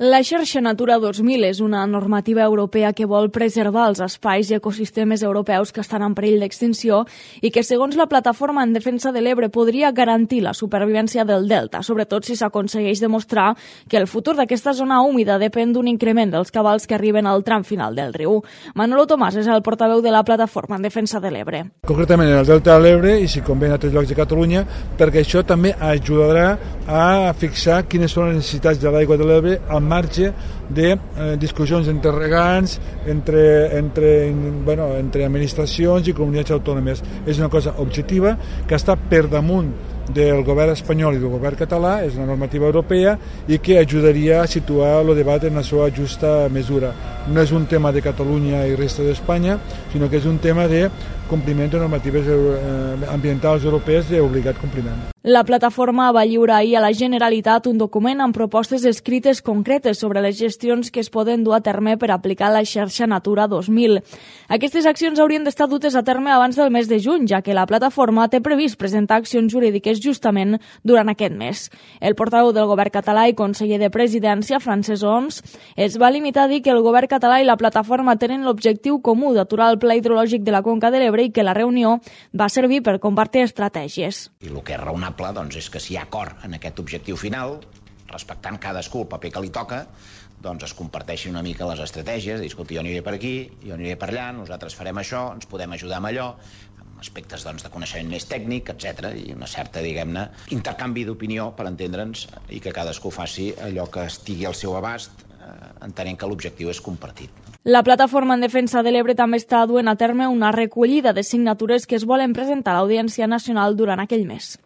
La xarxa Natura 2000 és una normativa europea que vol preservar els espais i ecosistemes europeus que estan en perill d'extinció i que, segons la Plataforma en Defensa de l'Ebre, podria garantir la supervivència del delta, sobretot si s'aconsegueix demostrar que el futur d'aquesta zona húmida depèn d'un increment dels cabals que arriben al tram final del riu. Manolo Tomàs és el portaveu de la Plataforma en Defensa de l'Ebre. Concretament en el delta de l'Ebre i si convé en altres llocs de Catalunya, perquè això també ajudarà a fixar quines són les necessitats de l'aigua de l'Ebre al marge de discussions entre regants, entre administracions i comunitats autònomes. És una cosa objectiva que està per damunt del govern espanyol i del govern català, és una normativa europea i que ajudaria a situar el debat en la seva justa mesura. No és un tema de Catalunya i resta d'Espanya, sinó que és un tema de compliment de normatives ambientals europees d'obligat compliment. La plataforma va lliurar ahir a la Generalitat un document amb propostes escrites concretes sobre les gestions que es poden dur a terme per aplicar la xarxa Natura 2000. Aquestes accions haurien d'estar dutes a terme abans del mes de juny, ja que la plataforma té previst presentar accions jurídiques justament durant aquest mes. El portaveu del govern català i conseller de Presidència, Francesc Homs, es va limitar a dir que el govern català i la plataforma tenen l'objectiu comú d'aturar el pla hidrològic de la Conca de l'Ebre i que la reunió va servir per compartir estratègies. I el que és raonable és que si hi ha acord en aquest objectiu final, respectant cadascú el paper que li toca, doncs es comparteixin una mica les estratègies, dir, escolta, jo aniré per aquí, jo aniré per allà, nosaltres farem això, ens podem ajudar amb allò, amb aspectes de coneixement més tècnic, etc. I una certa, diguem-ne, intercanvi d'opinió per entendre'ns i que cadascú faci allò que estigui al seu abast, entenent que l'objectiu és compartit. La Plataforma en Defensa de l'Ebre també està duent a terme una recollida de signatures que es volen presentar a l'Audiència Nacional durant aquell mes.